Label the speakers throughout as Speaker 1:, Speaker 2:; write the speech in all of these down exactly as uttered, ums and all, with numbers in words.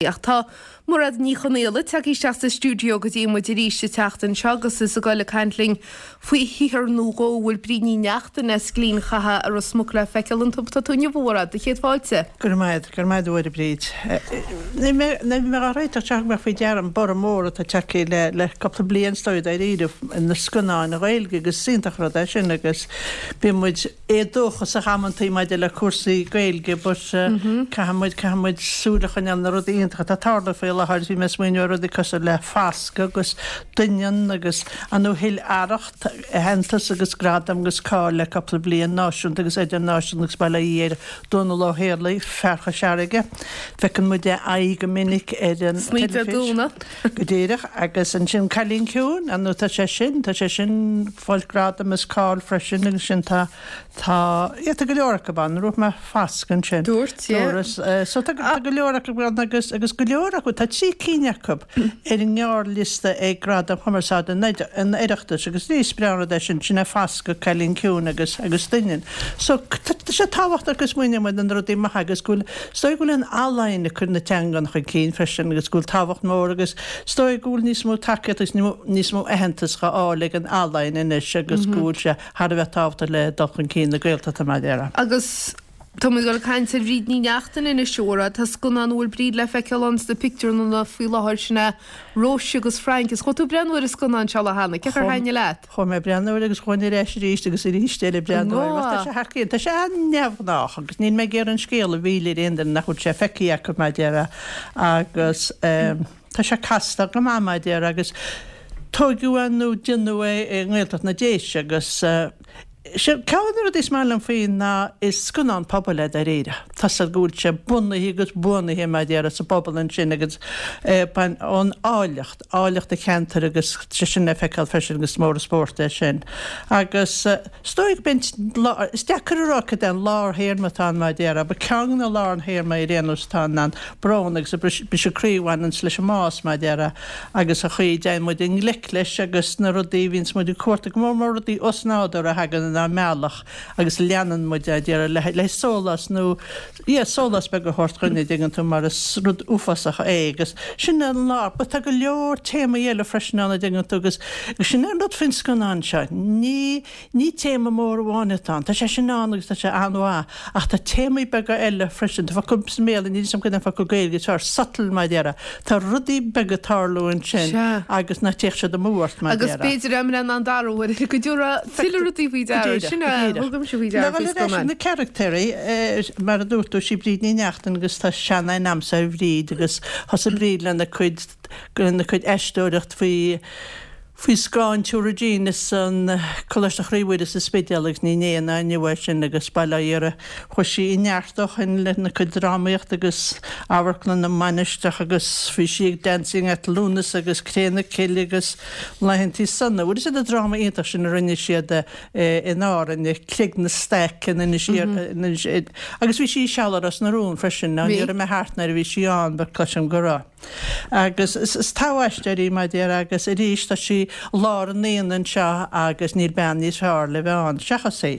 Speaker 1: Ach tá Mairéad Ní Chonaola tagtha isteach sa stiúideo go dtí muid arís an tseachtain seo agus is ag dul ag caint linn faoi shaothar nó dhó a bhfuil Bríd Ní Neachtain as Gleann Chatha i Ros Muc le feiceáil iontu. Tá tú inniu, a Mhairéad, do chéad fáilte.
Speaker 2: Go raibh maith, go raibh maith agat, a Bhríd. Ní mé á réiteach teach mé faoi deara an borradh mór atá tagtha le le cúpla bliain is dóigh dáiríre na scannáin Ghaeilge agus is iontach rud é sin agus bíonn muid éadóchasach amantaí maidir le cúrsaí Gaeilge but caithfidh muid caithfidh muid súil a choinneáil na rudaí iontacha atá ag tarlú faoi láthair. Bhí mé ag smaoineamh ar rudaí cosúil le Fascadh agus Doineann agus ar ndóigh thuill Arracht aitheantas agus gradam agus cáil le cúpla bliain, náisiúnta agus idirnáisiúnta agus bail ó Dhia ar Dónal Ó Héalaí, fear Chois Fharraige. Feiceann muid a aghaidh go minic ar an
Speaker 1: Snoí Dé
Speaker 2: teilifís.
Speaker 1: Domhnaigh.
Speaker 2: Go díreach. Agus ansin Cailín Ciúin, ar ndóigh tá sé sin, tá sé sin ag fáil gradam is cáil freisin agus sin tá Tá, yeah, tá go leor acu ann, dúirt mé Fascadh ansin.
Speaker 1: Dúirt, yeah.
Speaker 2: Dúras, so tá tá go leor acu ann agus agus go leor acu, tá trí cinn acu ar an ngearrliosta ag Gradaim Chumarsáide an an Oireachtais agus ní is breá an rud é sin, sin é Fascadh, Cailín Ciúin agus agus Doineann. So tá tá sé tábhachtach go smaoineoidh muid ar na rudaí maithe agus go bhfuil, is dóigh go bhfuil an ealaín ag cur na teangan chun cinn freisin agus go bhfuil tábhacht mór agus is dóigh go bhfuil níos mó tacaíocht agus níos mó aitheantas dhá fháil ag an ealaín anois agus go bhfuil sé thar a bheith tábhachtach le dul chun cinn na Gaeltachta mar a déarfá.
Speaker 1: Agus tá muid ag dul ag caint ar Bhríd Ní Neachtain anois, a Mhairéad. Tá scannán a bhfuil Bríd le feiceáil ann sna pictiúrlanna faoi láthair, sin é Róise agus Frank. Is chuaigh tú ag breathnú ar an scannán seo cheana. Cé chor thaitnigh leat?
Speaker 2: Chuaigh mé ag breathnú air agus chuaigh ar ais arís agus arís eile ag breathnú air. Tá sé thar cionn. Tá sé an-neamhghnách agus níl mé ag iarraidh an scéal a mhilleadh ar aon duine nach bhfuil sé feicthe acu mar a déarfá agus tá sé casta go maith mar a déarfá agus Tóigeadh é nó déanadh é i nGaeltacht na Déise agus ceann de na rudaí is maith liom faoi ná is scannán pobail é dáiríre. Tá's agat go bhfuil sé bunaithe agus buanaithe mar a déarfá sa bpobal ansin agus ón áilleacht, áilleacht an cheantair agus sé sin le feiceáil freisin agus is mór an spórt é sin. Agus is dóigh go mb'in, is deacair a rá cad é an lárthéarma atá ann mar a déarfá, but ceann de na lárthéarmaí ar aon nós atá ann ná an brón agus an briseadh croí a bhaineanns leis an mbás mar a déarfá. agus an chaoi a dtéann muid i ngleic leis agus na rudaí a bhíonns muid ag cuartú, go mór mór rudaí osnádúrtha a thagann inár mbealach agus a leanann muid a déarfá le le sólás nó yeah sólás beag a thabhairt dhuinn a dtuigeann tú mar is rud uafásach é agus sin an lá but tá go leor téamaí eile freisin ann a dtuigeann tú agus sin an rud faoin scannán seo ní Ní téama mór amháin atá ann. Tá sé sin ann agus tá sé an-mhaith, ach tá téamaí beaga eile freisin. Tá focal sa mBéarla, níl 'fhios a'm cad é an focal Gaeilge is fearr, subtle mar a déarfá. Tá rudaí beaga ag tarlú ansin
Speaker 1: Sea.
Speaker 2: agus ná téadh siad amú ort mar a
Speaker 1: Agus
Speaker 2: déarfá.
Speaker 1: b'fhéidir dá mbreathnóinn an dara huair eile go dtabharfá tuilleadh rudaí faoi
Speaker 2: Go
Speaker 1: deara.
Speaker 2: díreach,
Speaker 1: Sin
Speaker 2: go
Speaker 1: é,
Speaker 2: díreach.
Speaker 1: thugaimse faoi
Speaker 2: Le
Speaker 1: deara
Speaker 2: dhul
Speaker 1: faoi
Speaker 2: ar ais ar
Speaker 1: scannán.
Speaker 2: na caractéirí, mar a dúirt tú, sí Bríd Ní Neachtain agus tá seanaithne a'msa ar Bhríd agus thosaigh Bríd lena cuid, lena cuid aisteoireacht faoi, Faoi scáth an tSiúr Regina san Coláiste Chroí Mhuire sa Spidéal agus ní inné ná inniu é sin agus bail ó Dhia uirthi chuaigh sí i neart ó shin lena cuid drámaíochta agus Amharclann na Mainistreach agus bhí sí ag Dancing at Lughnasa agus Cré na Cille agus Laethantaí Sona. Bhfuil fhios agat an dráma iontach sin a rinne siad in Árainn, Creag na Staic in Inis Oírr agus bhí sí i seal i Ros na Rún freisin, ní raibh mé thart nuair a bhí sí ann but cloisim go raibh. Agus is togha-aisteoir í, mar a déarfá, agus arís tá sí i lár an aonaigh anseo agus níl bean níos fearr le bheith ann seachas í.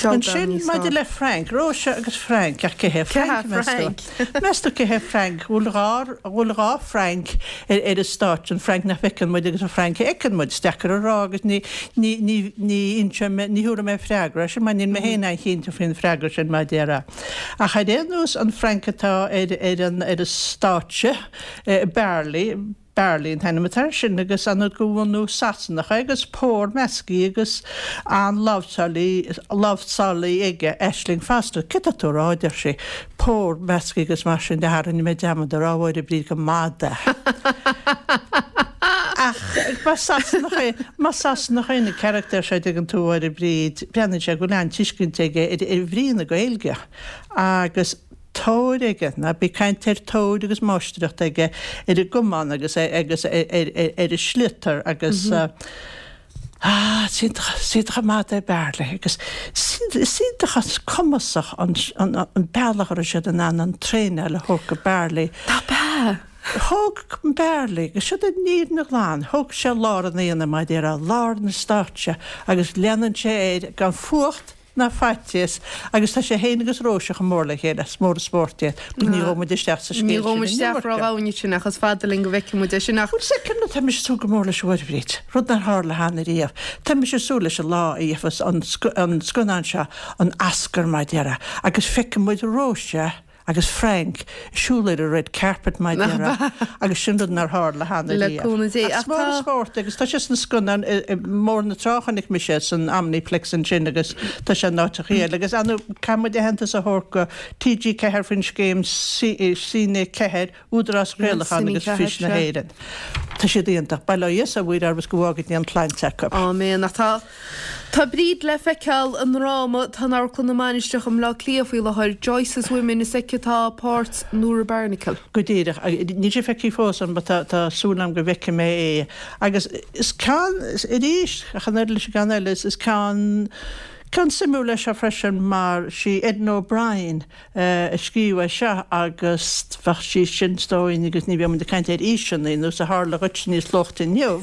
Speaker 2: Ansin maidir le Frank, Róise agus Frank, ach cé hé Frank, meas tú? Meas tú cé hé Frank? Bhfuil dhá, bhfuil dhá Frank ar, ar an stáitse, an Frank nach bhfeiceann muid agus an Frank a fheiceann muid? Is deacair a rá agus ní, ní, ní, ní inseoidh mé, ní thabharfaidh mé freagra air sin mar níl mé féin an-chinnte faoin bhfreagra sin, mar a déarfá. Ach ar aon nós, an Frank atá ar, ar an, ar an stáitse, Bearlaí, Bearlaí an t-ainm atá air sin agus an de bhunadh Sasanach é agus pór measctha agus an-láimhseálaí, láimhseálaí aige, Aisling Foster. Céard tá tú a rá, a deir sí, pór measctha agus mar sin de, ha, rinne mé dearmad a rá, a Mháire Bríd, gur madadh é. Ach más Sasanach é, más Sasanach é na carachtair seo, dtuigeann tú, a Mháire Bríd, breathnaíonn sé go bhfuil an-tuiscint aige ar, ar bhrí na Gaeilge agus, tóir aige, ná bí ag caint ar tóir agus máistreacht aige ar an gcamán agus agus ar an sliotar agus ah is iontach is iontach an madadh é Bearlaí agus is iontach is cumasach an an bealach a raibh siad in ann an traenáil a thabhairt go Bearlaí.
Speaker 1: Nach ea?
Speaker 2: Thóg Bearlaí, agus siod an fhírinne ghlan, thóg sé lár an aonaigh, mar a déarfá, lár na stáitse agus leanann sé air gan fuacht, ná faitíos agus tá sé féin agus Róise chomh mór le chéile, is mór an spórt iad. But ní ghabhfaidh muid isteach sa scéal sin.
Speaker 1: Ní ghabhfaidh muid isteach ró-dhomhain sin ach is fada linn go bhfeicfidh muid é sin ach.
Speaker 2: Bhuel, is é cén rud, tá mise ag súil go mór leis a Mháire Bhríd, rud nár tharla cheana riamh. Tá mise ag súil leis an lá a gheobhas an scannán seo an Oscar mar a déarfá agus feicfidh muid Róise agus Frank ag siúl ar an red carpet mar a déarfá agus sin rud nár tharla cheana
Speaker 1: Le cúnamh Dé.
Speaker 2: Ach is mór an spórt agus tá sé sna scannáin i mBóthar na Trá chonaic mise san Omniplex ansin agus tá sé in áiteachaí eile agus ar ndóigh caithfidh muid aitheantas a thabhairt go T G ceathair faoin scéim Cine ceathair, Údarás Craolacháin agus Fís na hÉireann. Tá siad iontach. Bail ó Dhia is ó Mhuire orthu is go bhfága Dia an tsláinte acu.
Speaker 1: Áiméan. Ach tá Tá Bríd le feiceáil i ndráma atá in Amharclann na Mainistreach i mBleá Cliath faoi láthair, Joyce's Women. Is aici atá páirt Nora Barnacle.
Speaker 2: Go díreach. Níl sé feicthe fós agam but tá tá súil agam go bhfeicfidh mé é. Agus is ceann, arís, ach an oiread leis an gceann eile, is is ceann ceann suimiúil é seo freisin mar sí Edna O'Brien a scríobh é seo agus bheadh sí sin is dóigh agus ní bheadh muid ag caint ar aoiseanna nós a tharla dhuit níos luaithe inniu.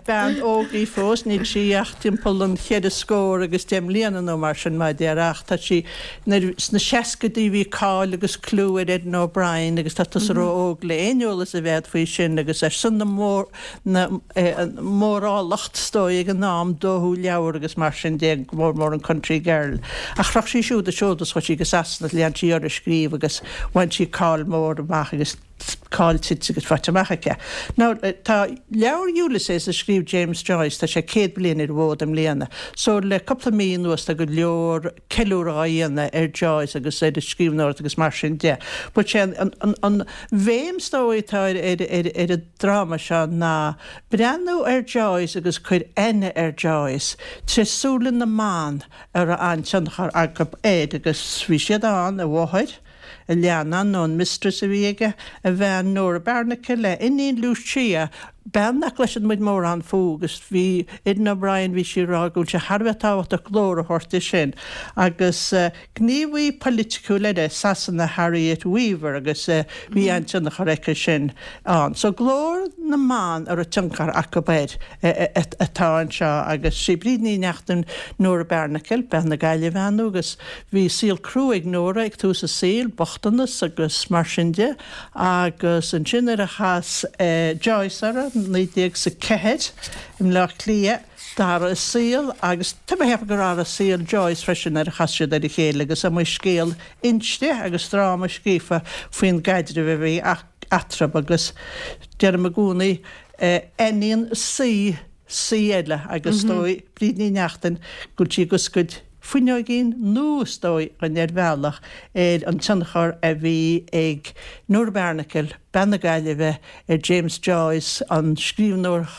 Speaker 2: Bean óg í fós, níl sí ach timpeall an cheithre scór agus deich mbliana nó mar sin mar a déarfá ach tá sí nuair sna seascaidí bhí cáil agus clú ar Edna O'Brien agus tá tusa ró-óg le aon eolas a bheith agat faoi sin agus ar son na mór na mórálacht is dóigh ag an am dódh leabhar agus mar sin de, go mór mór an Country Girl. Ach shroich sí siúd a seod is chuaigh sí go Sasana is lean sí uirthi ag scríobh agus bhain sí cáil mhór amach agus cáil tite agus faighte amach aici. Now tá leabhar Ulysses a scríobh James Joyce, tá sé céad bliain ar an bhfód i mbliana. So le cúpla mí anuas tá go leor ceiliúradh á dhéanamh ar Joyce agus ar a scríbhneoireacht agus mar sin de. But sé an, an, an bhéim is dóigh atá ar, ar, ar, ar an dráma seo ná breathnú ar Joyce agus cuir aithne ar Joyce tré súile na mban a raibh an-tionchar acu air agus bhí siad ann, a mháthair, a leannán nó an mistress a bhí aige, a bhean Nora Barnacle, a iníon Lucia, bean nach gcloiseann muid mórán fúithi agus bhí Edna O'Brien, bhí sí ag rá go bhfuil sé thar a bheith tábhachtach glór a thabhairt di sin. Agus gníomhaí polaitiúil eile, Sasana Harriet Weaver agus bhí an-tionchar aici sin ann. So glór na mban a raibh tionchar acu air atá anseo agus sí Bríd Ní Neachtain Nora Barnacle, bean na Gaillimhe ar ndóigh agus bhí saol crua ag Nora ag tús a saoil, bochtanas agus mar sin de, agus ansin nuair a chas Joyce uirthi, naoi déag is a ceathair, i mBleá Cliath, d'athraigh a saol agus tá mé ag ceapadh gur athraigh saol Joyce freisin nuair a chas siad ar a chéile agus is iomaí scéal inste agus dráma scríofa faoin gcaidreamh a bhí eatarthu agus deirim i gcónaí, aithníonn saoi saoi eile agus is dóigh, Bríd Ní Neachtain, go bhfuil sí ag oscailt fuinneoigín nua is dóigh dhúinn ar bhealach ar an tionchar a bhí ag Nora Barnacle, bean na Gaillimhe, ar James Joyce, an scríbhneoir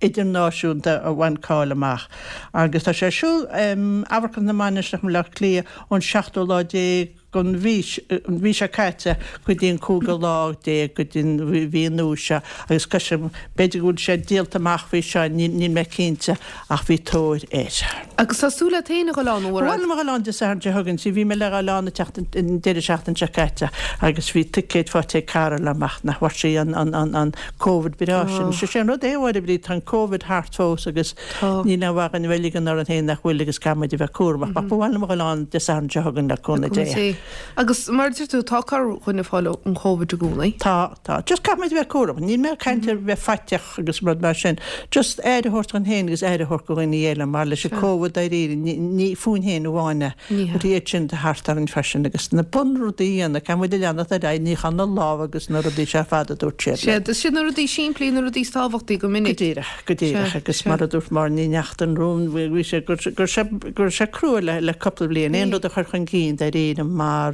Speaker 2: idirnáisiúnta a bhain cáil amach. Agus tá sé ar siúl in Amharclann na Mainistreach i mBleá Cliath ón seachtú lá déag den mhí, an mhí seo caite go dtí an cúigiú lá déag den mhí nua seo agus cloisim, b'fhéidir go bhfuil sé díolta amach faoi seo, níl mé cinnte ach bhí tóir air.
Speaker 1: Agus tá súil agat féin a dhul ann, a
Speaker 2: Mhairéad? Ba mhaith liom a dhul ann Dé Sathairn seo chugainn, see bhí mé le dhul ann an deireadh seachtaine seo caite agus bhí ticéid faighte ag cara liom ach nach bhfuair sí an, an, an, an Covid breá sin. Sé an rud é, a Mháire Bríd, tá an Covid thart fós agus níl aon mhaith dhúinn a bheith ag ligean orainn féin nach bhfuil agus caithfidh muid a bheith cúramach. Ach ba mhaith liom a dhul ann Dé Sathairn seo chugainn le cúnamh Dé.
Speaker 1: Agus mar a deir tú, tá corrdhuine ag fáil an Covid i gcónaí.
Speaker 2: Tá, tá. Just caithfidh muid a bheith cúramach. Níl mé ag caint ar bheith faiteach agus rud mar sin. Just aire a thabhairt dhúinn féin agus aire a thabhairt do dhaoine eile mar leis an Covid dáiríre, ní fúinn féin amháin é.
Speaker 1: Ní hea.
Speaker 2: But iad sin thart orainn freisin agus na bunrudaí a dhéanamh, caithfidh muid a leanacht ar aghaidh, níochán na lámha agus na rudaí seo ar fad a dúirt siad
Speaker 1: linn. Sea, is iad na rudaí simplí na rudaí is tábhachtaí go minic.
Speaker 2: Go díreach, go díreach
Speaker 1: Sea,
Speaker 2: agus
Speaker 1: sea.
Speaker 2: mar a dúirt Máire Ní Neachtain romham, bhí sé, go raibh sé, go raibh sé crua le, le cúpla bliain, aon
Speaker 1: Bhí.
Speaker 2: rud a chur chun cinn dáiríre mar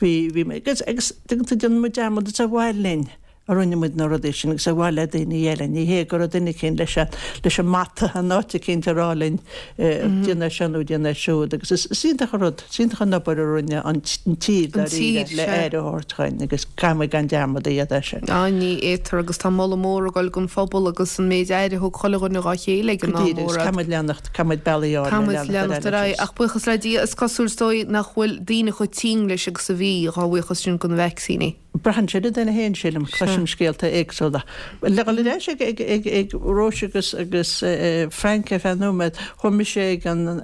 Speaker 2: bhí, bhí, agus, agus tuigeann tú, déanann muid dearmad, is ar mhaithe linn a rinne muid na rudaí sin agus ar mhaithe le daoine eile. Ní hé go raibh duine eicínt leis an, leis an mbata in áit eicínt ag rá linn déan é seo nó déan é siúd agus is, is iontach an rud, is iontach an obair a rinne an, an tír
Speaker 1: An
Speaker 2: dáiríre
Speaker 1: tír,
Speaker 2: le
Speaker 1: sea.
Speaker 2: aire a thabhairt dhuinn agus caithfidh muid gan dearmad a dhéanamh air sin.
Speaker 1: Á, ní fhéadtar agus tá moladh mór ag dul don phobal agus an méid aire a thug chuile dhuine dhá chéile ag
Speaker 2: Go
Speaker 1: an am
Speaker 2: díreach agus
Speaker 1: mór.
Speaker 2: caithfidh muid leanacht, caithfidh muid bealaí áirithe
Speaker 1: Caithfidh muid
Speaker 2: leanacht ar
Speaker 1: leanacht ar
Speaker 2: aghaidh
Speaker 1: aghaidh
Speaker 2: leis.
Speaker 1: ach buíochas le Dia is cosúil is dóigh nach bhfuil daoine chomh tinn leis agus a bhí, dhá bhuíochas sin do na vacsaíní.
Speaker 2: Braitheann sé ar an duine féin, sílim. Cloisim scéalta éagsúla. Le dhul ar ais ag, ag, ag, ag Róise agus, agus Frank ar feadh nóiméad, chuaigh mise ag an,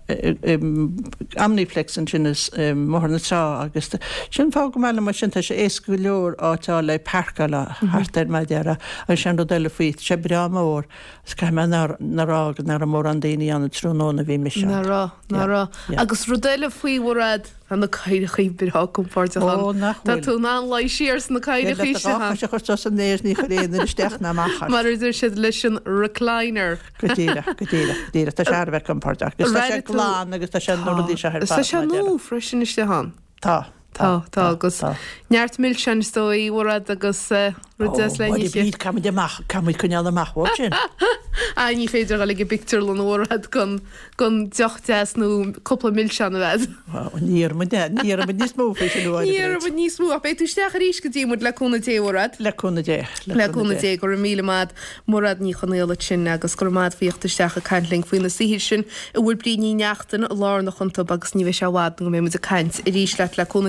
Speaker 2: Omniplex ansin is i mBóthar na Trá agus sin fáth go maith liom mar sin tá sé éasca go leor áit a fháil le páirceáil thart air mar a déarfá agus sin rud eile faoi tá sé breá mór agus caithfidh mé a rá go nach raibh mórán daoine ann an tráthnóna a bhí mise ann.
Speaker 1: Nach raibh, nach raibh. Agus rud eile faoi Mhairéad, tá na cathaoireachaí breá compordach ann.
Speaker 2: Ó, nach
Speaker 1: Tá
Speaker 2: bhfuil.
Speaker 1: tú in ann luí siar sna cathaoireachaí
Speaker 2: Le do dhá
Speaker 1: sin.
Speaker 2: chois a chur suas san aer ní chuir aon duine isteach ná amach ort.
Speaker 1: Mar a deir siad leis an recliner.
Speaker 2: Go díreach, go díreach, go díreach. Tá sé thar a bheith compordach. Agus tá sé glan agus tá sé na rudaí seo ar
Speaker 1: Tá
Speaker 2: fad.
Speaker 1: sé nua freisin istigh ann.
Speaker 2: Tá.
Speaker 1: Tá, tá, agus neart milseáin is dóigh, Mhairéad, agus rud deas le n-ithe.
Speaker 2: Bríd, caithfimid amach, caithfimid coinneáil amach uait sin.
Speaker 1: Ah, ní féidir a dhul ag an bpictiúrlann, a Mhairéad, gan gan deoch deas nó cúpla milseán a bheith.
Speaker 2: Ní iarrfaimid, ní iarrfaimid níos mó faoi sin uair,
Speaker 1: Ní
Speaker 2: Bríd.
Speaker 1: iarrfaimid níos mó, ach beidh tú isteach arís go dtí muid le cúnamh Dé, a Mhairéad.
Speaker 2: Le cúnamh Dé.
Speaker 1: Le cúnamh Dé, go raibh míle maith Mairéad Ní Chonaola ansin agus go raibh maith agat faoi theacht isteach ag caint linn faoi na saothair sin a bhfuil Bríd Ní Neachtain lárnach iontu agus ní bheidh sé i bhfad nó go mbeidh muid ag caint arís leat le cúnamh